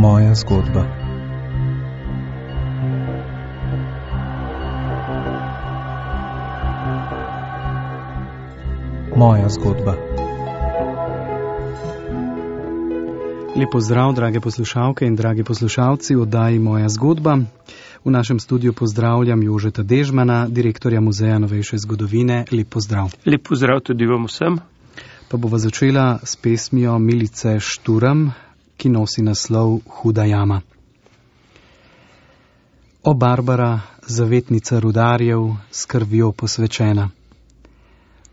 Moja zgodba. Moja zgodba. Lep pozdrav, drage poslušalke in dragi poslušalci v oddaji Moja zgodba. V našem studiu pozdravljam Jožeta Dežmana, direktorja Muzeja novejše zgodovine. Lep pozdrav. Lep pozdrav tudi vam vsem. Pa bova začela s pesmijo Milice Šturm, ki nosi naslov Huda jama. O Barbara, zavetnica rudarjev, s krvjo posvečena.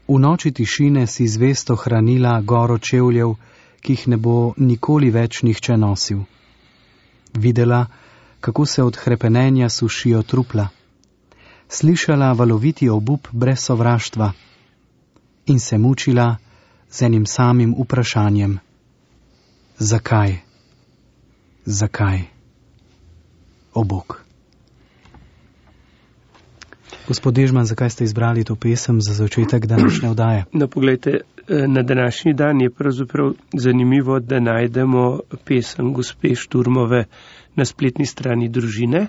V noči tišine si zvesto hranila goro čevljev, ki jih ne bo nikoli več nihče nosil. Videla, kako se od hrepenenja sušijo trupla. Slišala valoviti obup brez sovraštva in se mučila z enim samim vprašanjem. Zakaj? Zakaj? O Bog. Gospod Dežman, zakaj ste izbrali to pesem za začetek današnje oddaje? No, poglejte, na današnji dan je pravzaprav zanimivo, da najdemo pesem gospe Šturmove na spletni strani Družine.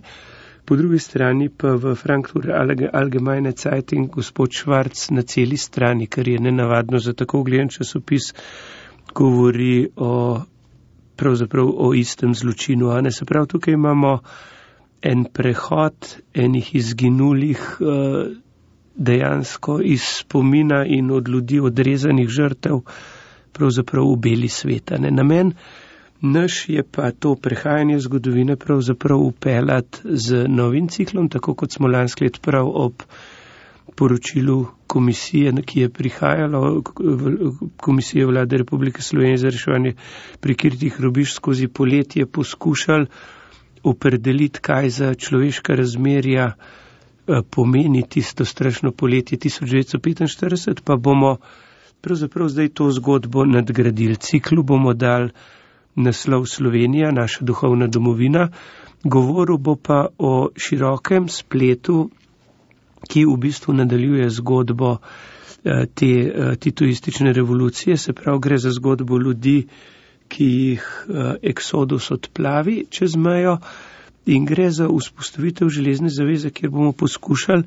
Po drugi strani pa v Frankfurter Allgemeine Zeitung gospod Švarc na celi strani, kar je nenavadno za tako ugledan časopis, govori pravzaprav o istem zločinu. Se pravi, tukaj imamo en prehod enih izginulih dejansko iz spomina in od ljudi odrezanih žrtev pravzaprav v beli sveta. Namen naš je pa to prehajanje zgodovine pravzaprav upeljati z novim ciklom, tako kot smo lansko let prav ob poročilu komisije, ki je prihajalo, Komisije Vlade Republike Slovenije za reševanje prikritih grobišč skozi poletje poskušali opredeliti, kaj za človeška razmerja pomeni tisto strašno poletje 1945, pa bomo pravzaprav zdaj to zgodbo nadgradili. Ciklu bomo dali naslov Slovenija, naša duhovna domovina, govoril bo pa o širokem spletu, ki v bistvu nadaljuje zgodbo te titoistične revolucije, se pravi, gre za zgodbo ljudi, ki jih eksodus odplavi čez mejo, in gre za vzpostavitev železne zaveze, kjer bomo poskušali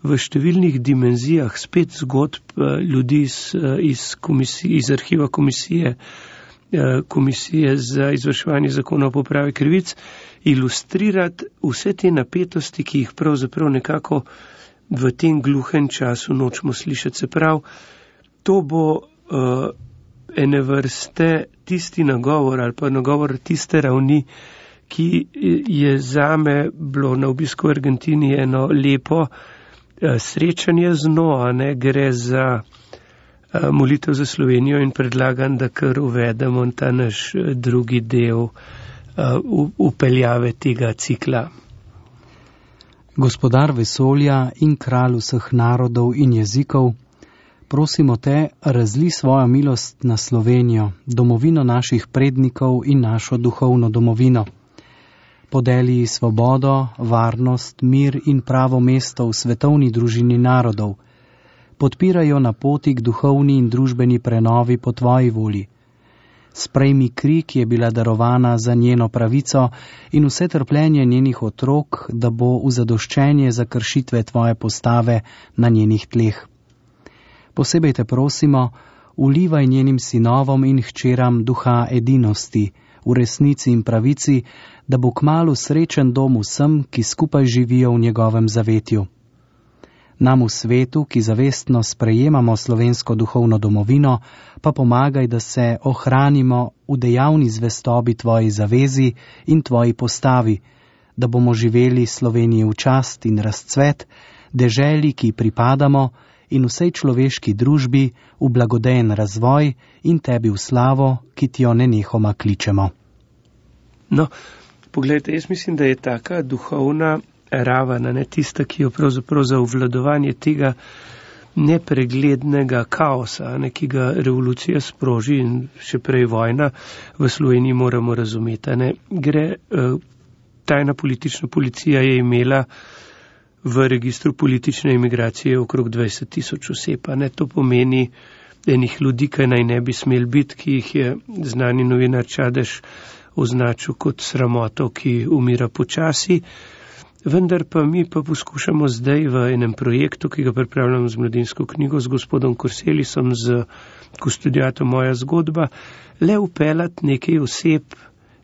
v številnih dimenzijah spet zgodb ljudi iz arhiva komisije za izvrševanje zakona o popravi krivic ilustrirati vse te napetosti, ki jih pravzaprav nekako v tem gluhem času nočemo slišati. Se pravi, to bo ene vrste tisti nagovor ali pa nagovor tiste ravni, ki je zame bilo na obisku v Argentini eno lepo srečanje z njo, gre za molitev za Slovenijo in predlagam, da kar uvedemo ta naš drugi del upeljave tega cikla. Gospodar vesolja in kralj vseh narodov in jezikov, prosimo te, razli svojo milost na Slovenijo, domovino naših prednikov in našo duhovno domovino. Podeli svobodo, varnost, mir in pravo mesto v svetovni družini narodov. Podpirajo na poti k duhovni in družbeni prenovi po tvoji volji. Sprejmi kri, ki je bila darovana za njeno pravico in vse trpljenje njenih otrok, da bo v zadoščenje za kršitve tvoje postave na njenih tleh. Posebej te prosimo, vlivaj njenim sinovom in hčeram duha edinosti, v resnici in pravici, da bo kmalu srečen dom vsem, ki skupaj živijo v njegovem zavetju. Nam v svetu, ki zavestno sprejemamo slovensko duhovno domovino, pa pomagaj, da se ohranimo v dejavni zvestobi tvoji zavezi in tvoji postavi, da bomo živeli Sloveniji v čast in razcvet, deželi, ki pripadamo, in vsej človeški družbi v blagodejen razvoj in tebi v slavo, ki ti jo nenehoma kličemo. No, poglejte, jaz mislim, da je taka duhovna raven, tista, ki jo pravzaprav za obvladovanje tega nepreglednega kaosa, ki ga revolucija sproži in še prej vojna v Sloveniji moramo razumeti. Tajna politična policija je imela v registru politične imigracije okrog 20,000 oseb. To pomeni enih ljudi, kaj naj ne bi smel biti, ki jih je znani novinar Čadež označil kot sramoto, ki umira počasi. Vendar pa mi pa poskušamo zdaj v enem projektu, ki ga pripravljamo z Mladinsko knjigo, z gospodom Korselisom, z Kustodijatom Moja zgodba, le upeljati nekaj oseb,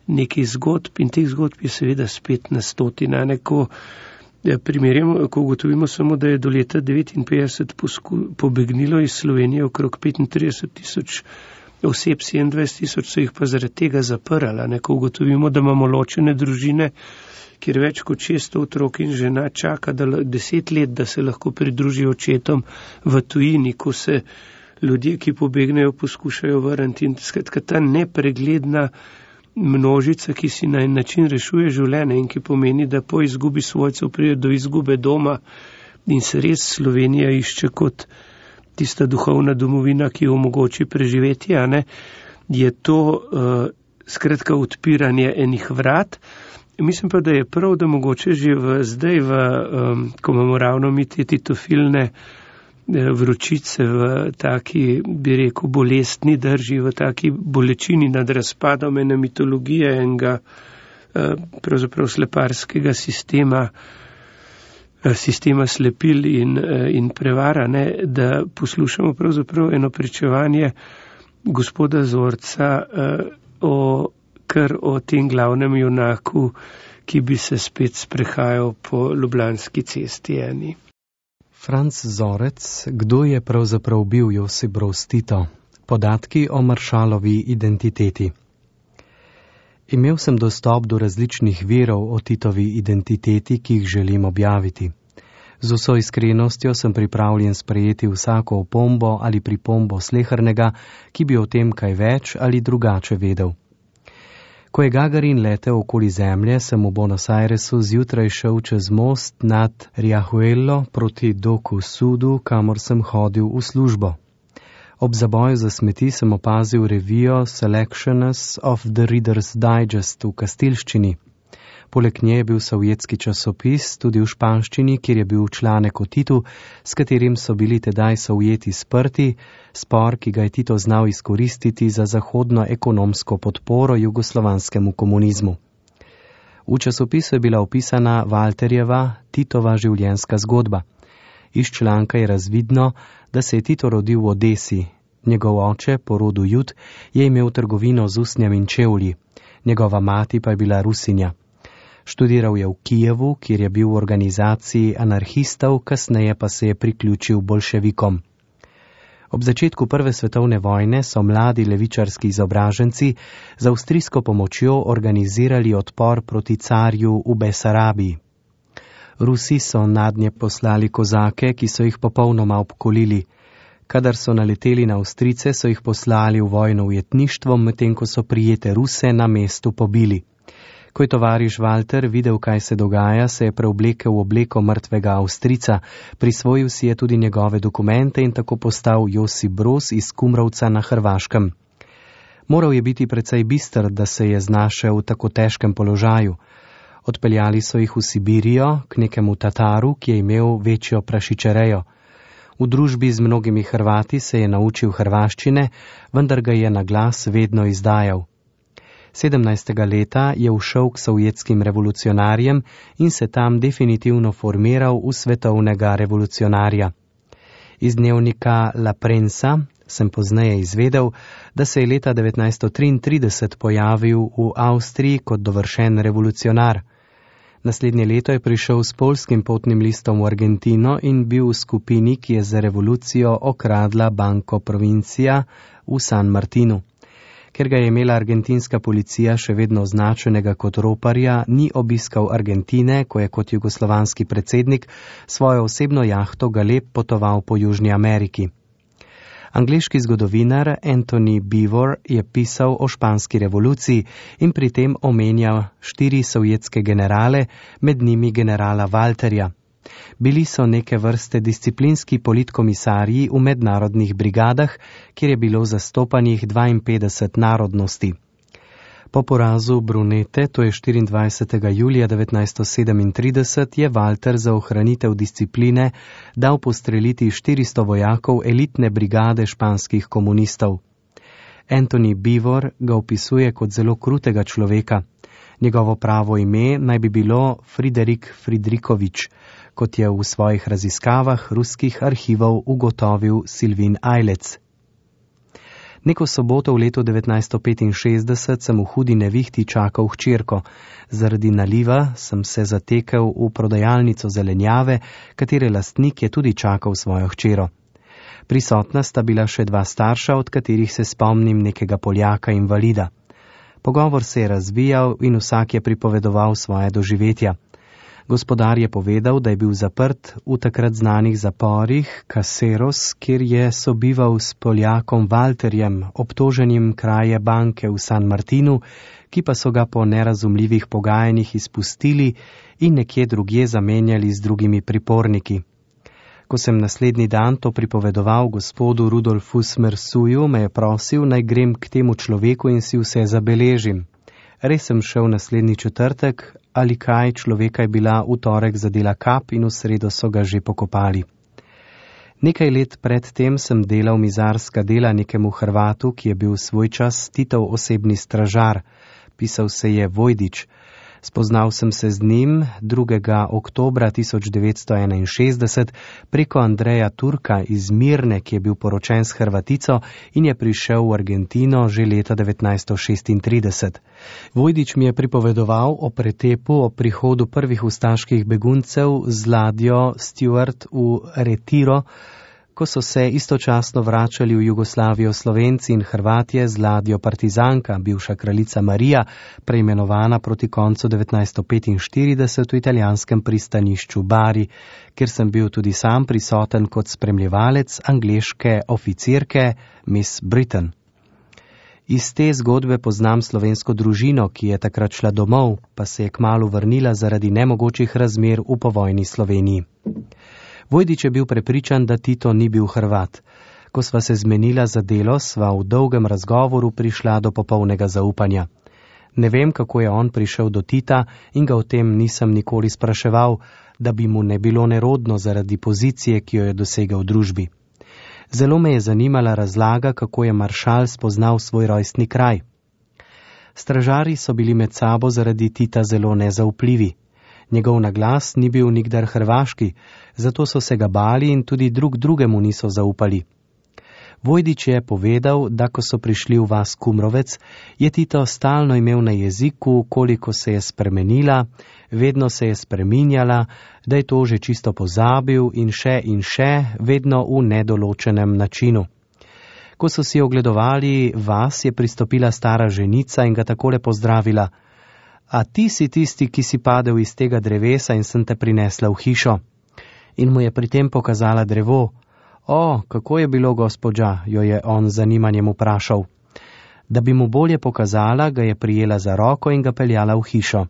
nekaj zgodb, in teh zgodb je seveda spet na stotina. Ko ugotovimo samo, da je do leta 1959 pobegnilo iz Slovenije okrog 35,000 oseb, 27,000 so jih pa zaradi tega zaprala. Ko ugotovimo, da imamo ločene družine, kjer več kot 600 otrok in žena čaka 10 let, da se lahko pridružijo očetom v tujini, ko se ljudje, ki pobegnejo, poskušajo vrniti. In skratka, ta nepregledna množica, ki si na en način rešuje življenje in ki pomeni, da po izgubi svojcev pride do izgube doma, in se res Slovenija išče kot tista duhovna domovina, ki omogoči preživetje, je to skratka odpiranje enih vrat. Mislim pa, da je prav, da mogoče že zdaj, ko imamo ravno mi te titofilne vročice v taki, bi rekel, bolestni drži, v taki bolečini nad razpadom ene mitologije, enega pravzaprav sleparskega sistema slepil in prevara, da poslušamo pravzaprav eno pričevanje gospoda Zorca o tem glavnem junaku, ki bi se spet sprehajal po Ljubljanski cesti eni. Franc Zorec, kdo je pravzaprav bil Josip Broz Tito? Podatki o Maršalovi identiteti. Imel sem dostop do različnih virov o Titovi identiteti, ki jih želim objaviti. Z vso iskrenostjo sem pripravljen sprejeti vsako opombo ali pripombo slehernega, ki bi o tem kaj več ali drugače vedel. Ko je Gagarin letel okoli zemlje, sem v Buenos Airesu zjutraj šel čez most nad Riachuelo proti doku Sudu, kamor sem hodil v službo. Ob zaboju za smeti sem opazil revijo Selections of the Reader's Digest v kastilščini. Poleg nje je bil sovjetski časopis tudi v španščini, kjer je bil članek o Titu, s katerim so bili tedaj Sovjeti sprti, spor, ki ga je Tito znal izkoristiti za zahodno ekonomsko podporo jugoslovanskemu komunizmu. V časopisu je bila opisana Walterjeva, Titova življenjska zgodba. Iz članka je razvidno, da se je Tito rodil v Odesi. Njegov oče, po rodu Jud, je imel trgovino z usnjem in čevlji. Njegova mati pa je bila Rusinja. Študiral je v Kijevu, kjer je bil v organizaciji anarhistov, kasneje pa se je priključil bolševikom. Ob začetku Prve svetovne vojne so mladi levičarski izobraženci z avstrijsko pomočjo organizirali odpor proti carju v Besarabiji. Rusi so nadnje poslali kozake, ki so jih popolnoma obkolili. Kadar so naleteli na Avstrijce, so jih poslali v vojno ujetništvo, medtem ko so prijete Ruse na mestu pobili. Ko je tovariš Walter videl, kaj se dogaja, se je preoblekel v obleko mrtvega Avstrijca, prisvojil si je tudi njegove dokumente in tako postal Josip Broz iz Kumrovca na Hrvaškem. Moral je biti precej bister, da se je znašel v tako težkem položaju. Odpeljali so jih v Sibirijo, k nekemu Tataru, ki je imel večjo prašičerejo. V družbi z mnogimi Hrvati se je naučil hrvaščine, vendar ga je na glas vedno izdajal. 17. leta je ušel k sovjetskim revolucionarjem in se tam definitivno formiral v svetovnega revolucionarja. Iz dnevnika La Prensa sem pozneje izvedel, da se je leta 1933 pojavil v Avstriji kot dovršen revolucionar. Naslednje leto je prišel s poljskim potnim listom v Argentino in bil v skupini, ki je za revolucijo okradla Banco Provincia v San Martinu. Ker ga je imela argentinska policija še vedno označenega kot roparja, ni obiskal Argentine, ko je kot jugoslovanski predsednik svojo osebno jahto Galeb potoval po Južni Ameriki. Angleški zgodovinar Anthony Beevor je pisal o španski revoluciji in pri tem omenjal 4 sovjetske generale, med njimi generala Walterja. Bili so neke vrste disciplinski politkomisarji v mednarodnih brigadah, kjer je bilo zastopanih 52 narodnosti. Po porazu Brunete, to je 24. julija 1937, je Walter za ohranitev discipline dal postreliti 400 vojakov elitne brigade španskih komunistov. Anthony Beevor ga opisuje kot zelo krutega človeka. Njegovo pravo ime naj bi bilo Friderik Friedrichovič, kot je v svojih raziskavah ruskih arhivov ugotovil Silvin Ajlec. Neko soboto v letu 1965 sem v hudi nevihti čakal hčerko. Zaradi naliva sem se zatekel v prodajalnico zelenjave, katere lastnik je tudi čakal svojo hčero. Prisotna sta bila še dva starša, od katerih se spomnim nekega Poljaka invalida. Pogovor se je razvijal in vsak je pripovedoval svoje doživetja. Gospodar je povedal, da je bil zaprt v takrat znanih zaporih Caseros, kjer je sobival s Poljakom Walterjem, obtoženim kraje banke v San Martinu, ki pa so ga po nerazumljivih pogajanjih izpustili in nekje drugje zamenjali z drugimi priporniki. Ko sem naslednji dan to pripovedoval gospodu Rudolfu Smersuju, me je prosil, naj grem k temu človeku in si vse zabeležim. Res sem šel naslednji četrtek, ali kaj, človeka je bila v torek zadela kap in v sredo so ga že pokopali. Nekaj let pred tem sem delal mizarska dela nekemu Hrvatu, ki je bil svoj čas Titov osebni stražar. Pisal se je Vojdič. Spoznal sem se z njim 2. oktobra 1961 preko Andreja Turka iz Mirne, ki je bil poročen s Hrvatico in je prišel v Argentino že leta 1936. Vojdič mi je pripovedoval o pretepu, o prihodu prvih ustaških beguncev z ladjo Stuart v Retiro, ko so se istočasno vračali v Jugoslavijo Slovenci in Hrvatje z ladjo Partizanka, bivša kraljica Marija, preimenovana proti koncu 1945 v italijanskem pristanišču Bari, kjer sem bil tudi sam prisoten kot spremljevalec angleške oficirke Miss Britain. Iz te zgodbe poznam slovensko družino, ki je takrat šla domov, pa se je kmalu vrnila zaradi nemogočih razmer v povojni Sloveniji. Vojdič je bil prepričan, da Tito ni bil Hrvat. Ko sva se zmenila za delo, sva v dolgem razgovoru prišla do popolnega zaupanja. Ne vem, kako je on prišel do Tita in ga o tem nisem nikoli spraševal, da bi mu ne bilo nerodno zaradi pozicije, ki jo je dosegel v družbi. Zelo me je zanimala razlaga, kako je maršal spoznal svoj rojstni kraj. Stražarji so bili med sabo zaradi Tita zelo nezaupljivi. Njegov naglas ni bil nikdar hrvaški, zato so se ga bali in tudi drugemu niso zaupali. Vojdič je povedal, da ko so prišli v vas Kumrovec, je Tito stalno imel na jeziku, koliko se je spremenila, vedno se je spreminjala, da je to že čisto pozabil in še, vedno v nedoločenem načinu. Ko so si ogledovali vas, je pristopila stara ženica in ga takole pozdravila: A ti si tisti, ki si padel iz tega drevesa in sem te prinesla v hišo. In mu je pri tem pokazala drevo. O, kako je bilo, gospođa, jo je on z zanimanjem vprašal. Da bi mu bolje pokazala, ga je prijela za roko in ga peljala v hišo.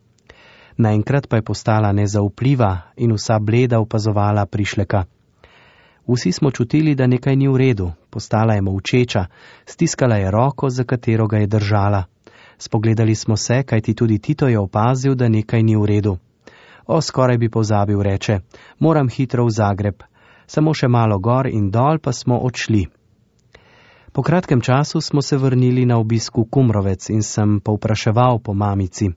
Naenkrat pa je postala nezaupljiva in vsa bleda opazovala prišleka. Vsi smo čutili, da nekaj ni v redu, postala je molčeča, stiskala je roko, za katero ga je držala. Spogledali smo se, kajti tudi Tito je opazil, da nekaj ni v redu. O, skoraj bi pozabil, reče, moram hitro v Zagreb. Samo še malo gor in dol pa smo odšli. Po kratkem času smo se vrnili na obisk v Kumrovec in sem povpraševal po mamici.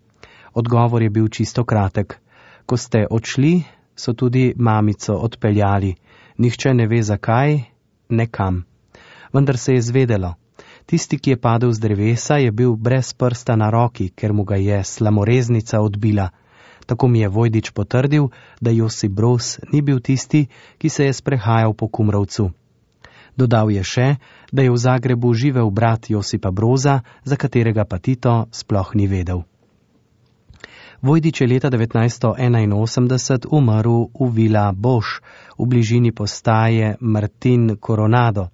Odgovor je bil čisto kratek. Ko ste odšli, so tudi mamico odpeljali. Nihče ne ve zakaj, nekam. Vendar se je zvedelo. Tisti, ki je padel z drevesa, je bil brez prsta na roki, ker mu ga je slamoreznica odbila. Tako mi je Vojdič potrdil, da Josip Broz ni bil tisti, ki se je sprehajal po Kumrovcu. Dodal je še, da je v Zagrebu živel brat Josipa Broza, za katerega pa Tito sploh ni vedel. Vojdič je leta 1981 umrl v Vila Boš, v bližini postaje Martin Coronado.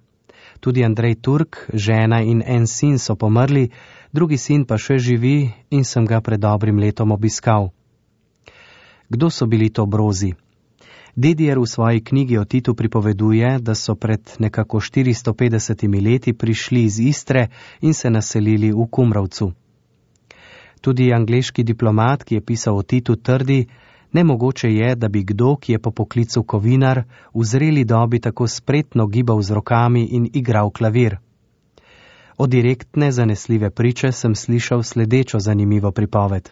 Tudi Andrej Turk, žena in en sin so pomrli, drugi sin pa še živi in sem ga pred dobrim letom obiskal. Kdo so bili to Brozi? Dedijer v svoji knjigi o Titu pripoveduje, da so pred nekako 450 leti prišli iz Istre in se naselili v Kumrovcu. Tudi angleški diplomat, ki je pisal o Titu, trdi, nemogoče je, da bi kdo, ki je po poklicu kovinar, v zreli dobi tako spretno gibal z rokami in igral klavir. Od direktne, zanesljive priče sem slišal sledečo zanimivo pripoved.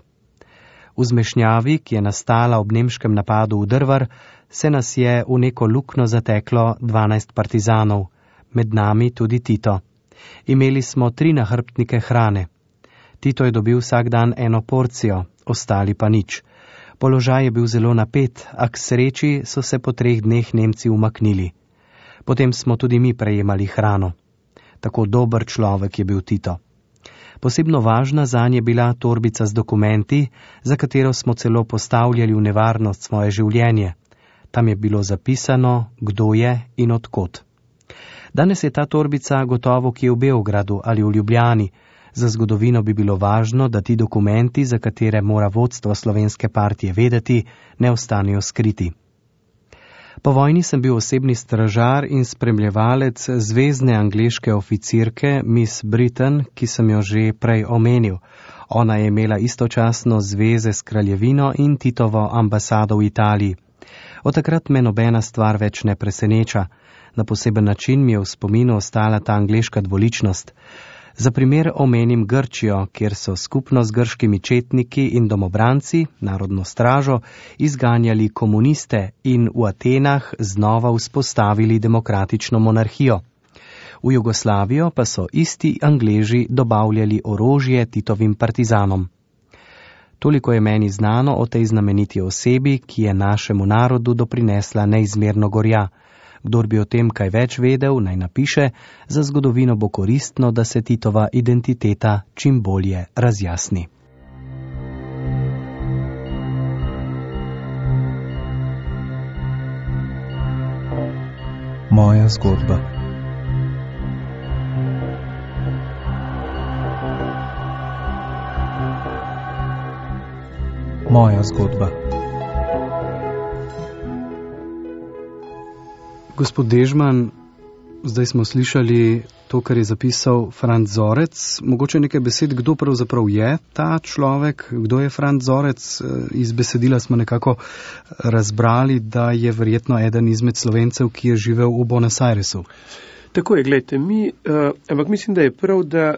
V zmešnjavi, ki je nastala ob nemškem napadu v Drvar, se nas je v neko luknjo zateklo 12 partizanov, med nami tudi Tito. Imeli smo 3 nahrbtnike hrane. Tito je dobil vsak dan 1 porcijo, ostali pa nič. Položaj je bil zelo napet, a k sreči so se po 3 dneh Nemci umaknili. Potem smo tudi mi prejemali hrano. Tako dober človek je bil Tito. Posebno važna zanj je bila torbica z dokumenti, za katero smo celo postavljali v nevarnost svoje življenje. Tam je bilo zapisano, kdo je in odkot. Danes je ta torbica gotovo kje v Beogradu ali v Ljubljani. Za zgodovino bi bilo važno, da ti dokumenti, za katere mora vodstvo Slovenske partije vedeti, ne ostanejo skriti. Po vojni sem bil osebni stražar in spremljevalec zvezne angleške oficirke Miss Britain, ki sem jo že prej omenil. Ona je imela istočasno zveze s kraljevino in Titovo ambasado v Italiji. Od takrat me nobena stvar več ne preseneča. Na poseben način mi je v spominu ostala ta angleška dvoličnost. Za primer omenim Grčijo, kjer so skupno z grškimi četniki in domobranci, narodno stražo, izganjali komuniste in v Atenah znova vzpostavili demokratično monarhijo. V Jugoslavijo pa so isti Angleži dobavljali orožje Titovim partizanom. Toliko je meni znano o tej znameniti osebi, ki je našemu narodu doprinesla neizmerno gorja. Kdor bi o tem kaj več vedel, naj napiše, za zgodovino bo koristno, da se Titova identiteta čim bolje razjasni. Moja zgodba. Moja zgodba. Gospod Dežman, zdaj smo slišali to, kar je zapisal Franc Zorec. Mogoče nekaj besed, kdo pravzaprav je ta človek, kdo je Franc Zorec. Iz besedila smo nekako razbrali, da je verjetno eden izmed Slovencev, ki je živel v Buenos Airesu. Tako je, gledajte, ampak mislim, da je prav, da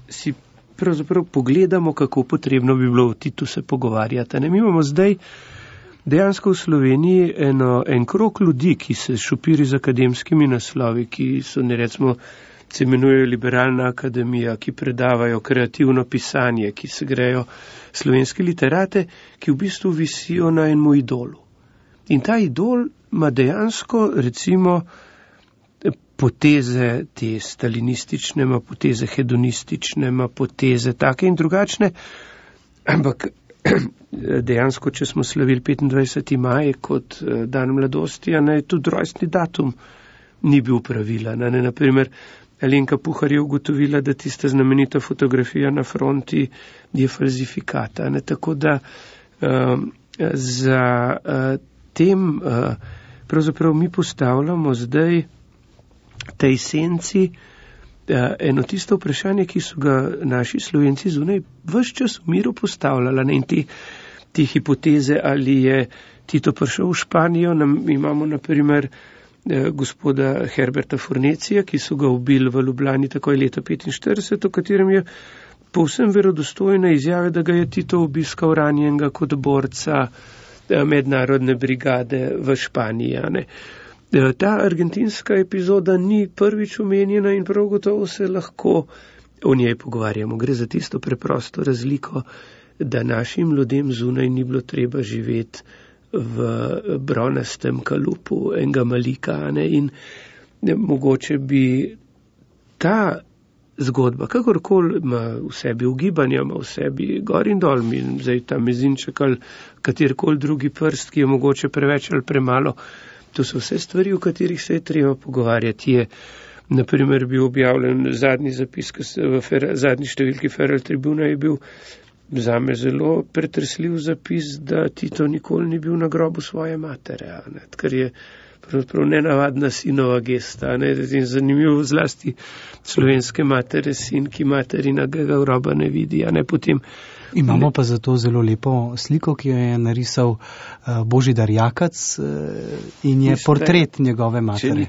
si pravzaprav pogledamo, kako potrebno bi bilo v Titu se pogovarjati. Mi imamo zdaj dejansko v Sloveniji en krog ljudi, ki se šopiri z akademskimi naslovi, ki so, recimo, se imenujejo Liberalna akademija, ki predavajo kreativno pisanje, ki se grejo slovenske literate, ki v bistvu visijo na enem idolu. In ta idol ima dejansko, recimo, poteze te stalinistične, ima poteze hedonistične, ima poteze take in drugačne, ampak dejansko, če smo slavili 25. maj kot dan mladosti, tudi rojstni datum ni bil pravilen. Naprimer, Alenka Puhar je ugotovila, da tista znamenita fotografija na fronti je falzifikata. Tako da za tem pravzaprav mi postavljamo zdaj tej senci eno tisto vprašanje, ki so ga naši Slovenci zunaj ves čas v miru postavljali. In te hipoteze, ali je Tito prišel v Španijo, imamo na primer gospoda Herberta Fornecija, ki so ga ubili v Ljubljani takoj leta 1945, v katerem je povsem verodostojna izjava, da ga je Tito obiskal ranjenega kot borca mednarodne brigade v Španiji. Ta argentinska epizoda ni prvič omenjena in prav gotovo se lahko o njej pogovarjamo. Gre za tisto preprosto razliko, da našim ljudem zunaj ni bilo treba živeti v bronastem kalupu enega Malika. In mogoče bi ta zgodba, kakorkoli ima v sebi ugibanja, ima v sebi gor in dol, zdaj ta mezinček ali katerkoli drugi prst, ki je mogoče preveč ali premalo. To so vse stvari, o katerih se je treba pogovarjati. Je, naprimer, bil objavljen zadnji zapis, v zadnji številki Feral Tribuna je bil zame zelo pretresljiv zapis, da Tito nikoli ni bil na grobu svoje matere, kar je pravzaprav nenavadna sinova gesta. In zanimivo zlasti slovenske matere, sin, ki materinagega groba ne vidi. Potem imamo pa zato zelo lepo sliko, ki jo je narisal Božidar Jakac in je portret njegove matere.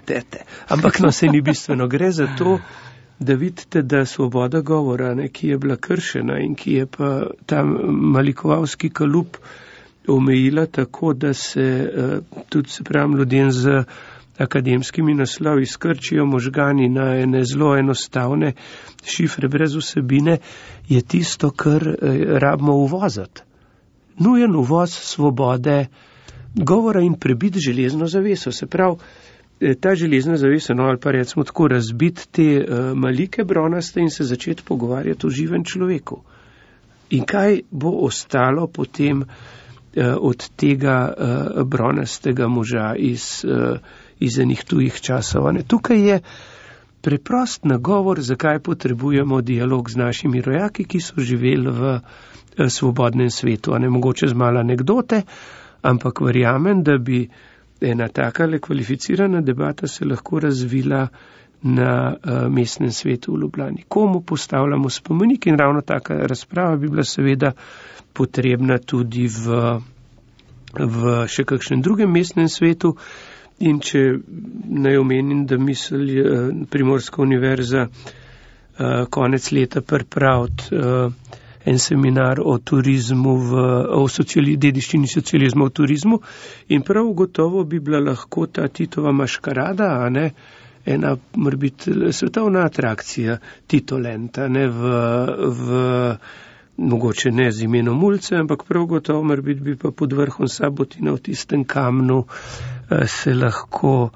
Ampak se ni bistveno. Gre za to, da vidite, da svoboda govora, ki je bila kršena in ki je pa ta malikovalski kalup omejila tako, da se tudi, se pravim, ljudem z akademskimi naslovi skrčijo možgani na ene zelo enostavne šifre brez vsebine, je tisto, kar rabimo uvozati. Nujen uvoz svobode govora in prebiti železno zaveso. Se pravi, ta železna zavesa, ali pa recimo tako razbiti te malike bronaste in se začeti pogovarjati o živem človeku. In kaj bo ostalo potem od tega bronastega moža iz enih tujih časov. Tukaj je preprost nagovor, zakaj potrebujemo dialog z našimi rojaki, ki so živeli v svobodnem svetu. Mogoče z malo anekdote, ampak verjamem, da bi ena takale kvalificirana debata se lahko razvila na mestnem svetu v Ljubljani. Komu postavljamo spomenik in ravno taka razprava bi bila seveda potrebna tudi v še kakšnem drugem mestnem svetu. In če naj omenim, da misli Primorska univerza konec leta pripraviti en seminar o turizmu, o dediščini socializma v turizmu in prav gotovo bi bila lahko ta Titova maškarada, ena morbiti svetovna atrakcija Titolenta, v mogoče ne z imenom ulice, ampak prav gotovo morbiti bi pa pod vrhom Sabotina v tistem kamnu se lahko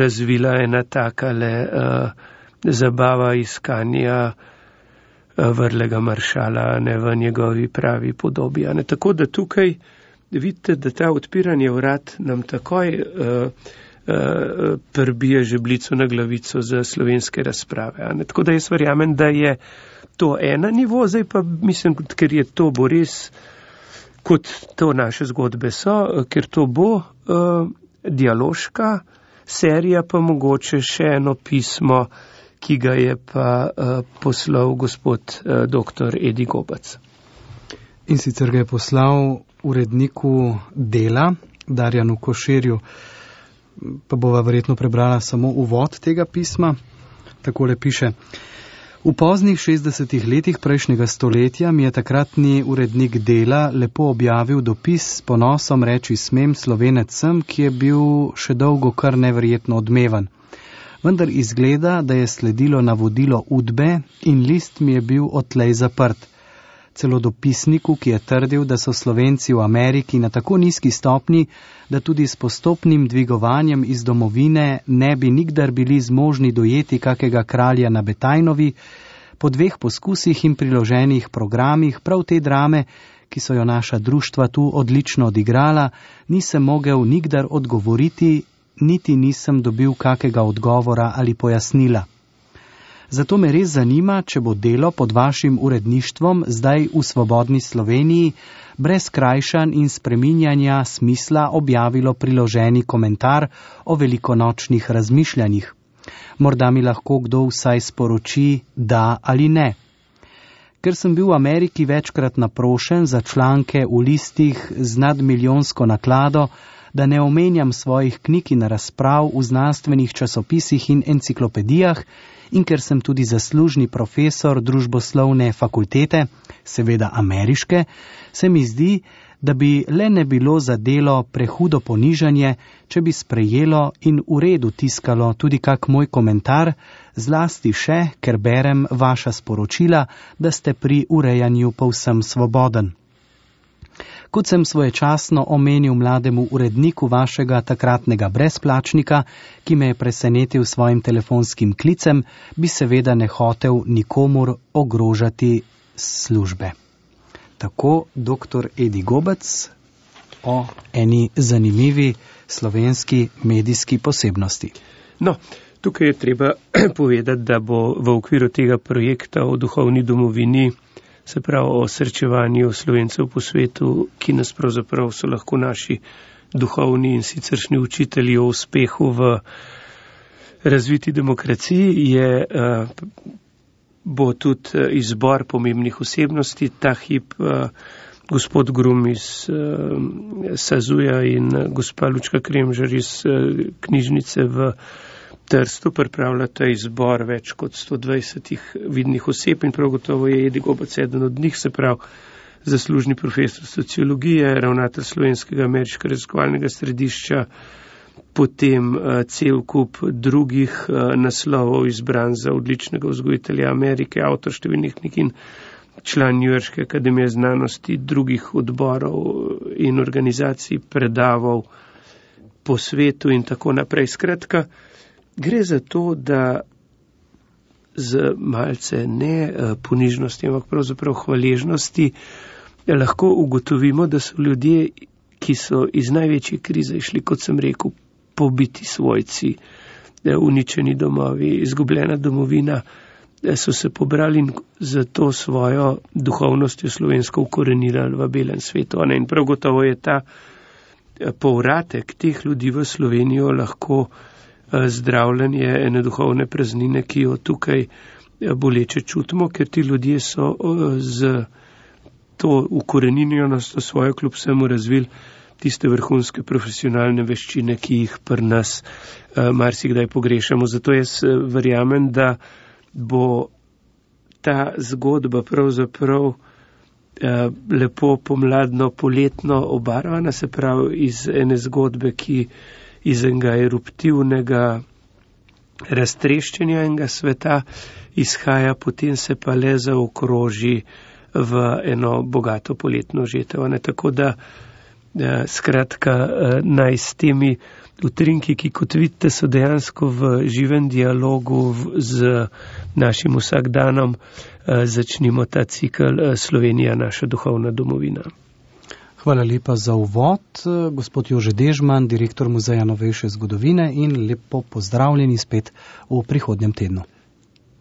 razvila ena takale zabava iskanja vrlega maršala v njegovi pravi podobi. Tako da tukaj vidite, da ta odpiranje vrat nam takoj prbije žeblico na glavico za slovenske razprave. Tako da jaz verjamem, da je to ena nivo, zdaj pa mislim, ker je to bo res, kot to naše zgodbe so, ker to bo dialoška serija, pa mogoče še eno pismo, ki ga je pa poslal gospod dr. Edi Gobac. In sicer ga je poslal uredniku Dela, Darjanu Koširju, pa bova verjetno prebrala samo uvod tega pisma. Takole piše: V poznih 60 letih prejšnjega stoletja mi je takratni urednik Dela lepo objavil dopis s ponosom reči smem Slovenec sem, ki je bil še dolgo kar neverjetno odmevan. Vendar izgleda, da je sledilo navodilo Udbe in list mi je bil odtlej zaprt. Celo dopisniku, ki je trdil, da so Slovenci v Ameriki na tako nizki stopni, da tudi s postopnim dvigovanjem iz domovine ne bi nikdar bili zmožni dojeti kakega kralja na Betajnovi, po 2 poskusih in priloženih programih prav te drame, ki so jo naša društva tu odlično odigrala, nisem mogel nikdar odgovoriti, niti nisem dobil kakega odgovora ali pojasnila. Zato me res zanima, če bo Delo pod vašim uredništvom zdaj v svobodni Sloveniji brez krajšanj in spreminjanja smisla objavilo priloženi komentar o velikonočnih razmišljanjih. Morda mi lahko kdo vsaj sporoči da ali ne. Ker sem bil v Ameriki večkrat naprošen za članke v listih z nadmilijonsko naklado, da ne omenjam svojih knjig in razprav v znanstvenih časopisih in enciklopedijah, in ker sem tudi zaslužni profesor družboslovne fakultete, seveda ameriške, se mi zdi, da bi le ne bilo za Delo prehudo ponižanje, če bi sprejelo in v redu tiskalo tudi kak moj komentar, zlasti še, ker berem vaša sporočila, da ste pri urejanju povsem svoboden. Kot sem svoječasno omenil mlademu uredniku vašega takratnega brezplačnika, ki me je presenetil svojim telefonskim klicem, bi seveda ne hotel nikomur ogrožati službe. Tako dr. Edi Gobac o eni zanimivi slovenski medijski posebnosti. No, tukaj je treba povedati, da bo v okviru tega projekta o duhovni domovini, se pravi o srečevanju Slovencev po svetu, ki nas pravzaprav so lahko naši duhovni in siceršnji učitelji o uspehu v razviti demokraciji, bo tudi izbor pomembnih osebnosti. Ta hip gospod Grum iz Sazuja in gospa Lučka Kremžar iz knjižnice v Trstu pripravljata izbor več kot 120 vidnih oseb in prav gotovo je Edi Gobac eden od njih, se pravi zaslužni profesor sociologije, ravnatelj Slovenskega ameriškega raziskovalnega središča, potem cel kup drugih naslovov izbran za odličnega vzgojitelja Amerike, avtor številnih knjig in član Njujorške akademije znanosti, drugih odborov in organizacij, predaval po svetu in tako naprej. Skratka, gre za to, da z malce ne ponižnosti, ampak pravzaprav hvaležnosti lahko ugotovimo, da so ljudje, ki so iz največje krize išli, kot sem rekel, pobiti svojci, uničeni domovi, izgubljena domovina, so se pobrali in za to svojo duhovnostjo slovensko ukorenirali v belem svetu. In prav gotovo je ta povratek teh ljudi v Slovenijo lahko zdravljenje ene duhovne praznine, ki jo tukaj boleče čutimo, ker ti ljudje so z to ukoreninjenost svojo kljub vsemu razvili tiste vrhunske profesionalne veščine, ki jih pri nas marsikdaj pogrešamo. Zato jaz verjamem, da bo ta zgodba pravzaprav lepo pomladno, poletno obarvana, se pravi iz ene zgodbe, ki iz enega eruptivnega raztreščenja enega sveta izhaja, potem se pa le zaokroži v eno bogato poletno žetev. Tako da skratka naj s temi utrinki, ki kot vidite so dejansko v živem dialogu z našim vsakdanom, začnimo ta cikl Slovenija, naša duhovna domovina. Hvala lepa za uvod, gospod Jože Dežman, direktor Muzeja novejše zgodovine, in lepo pozdravljeni spet v prihodnjem tednu.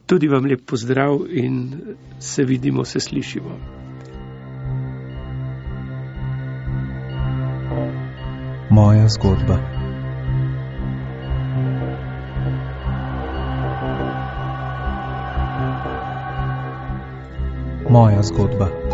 Tudi vam lep pozdrav in se vidimo, se slišimo. Moja zgodba. Moja zgodba.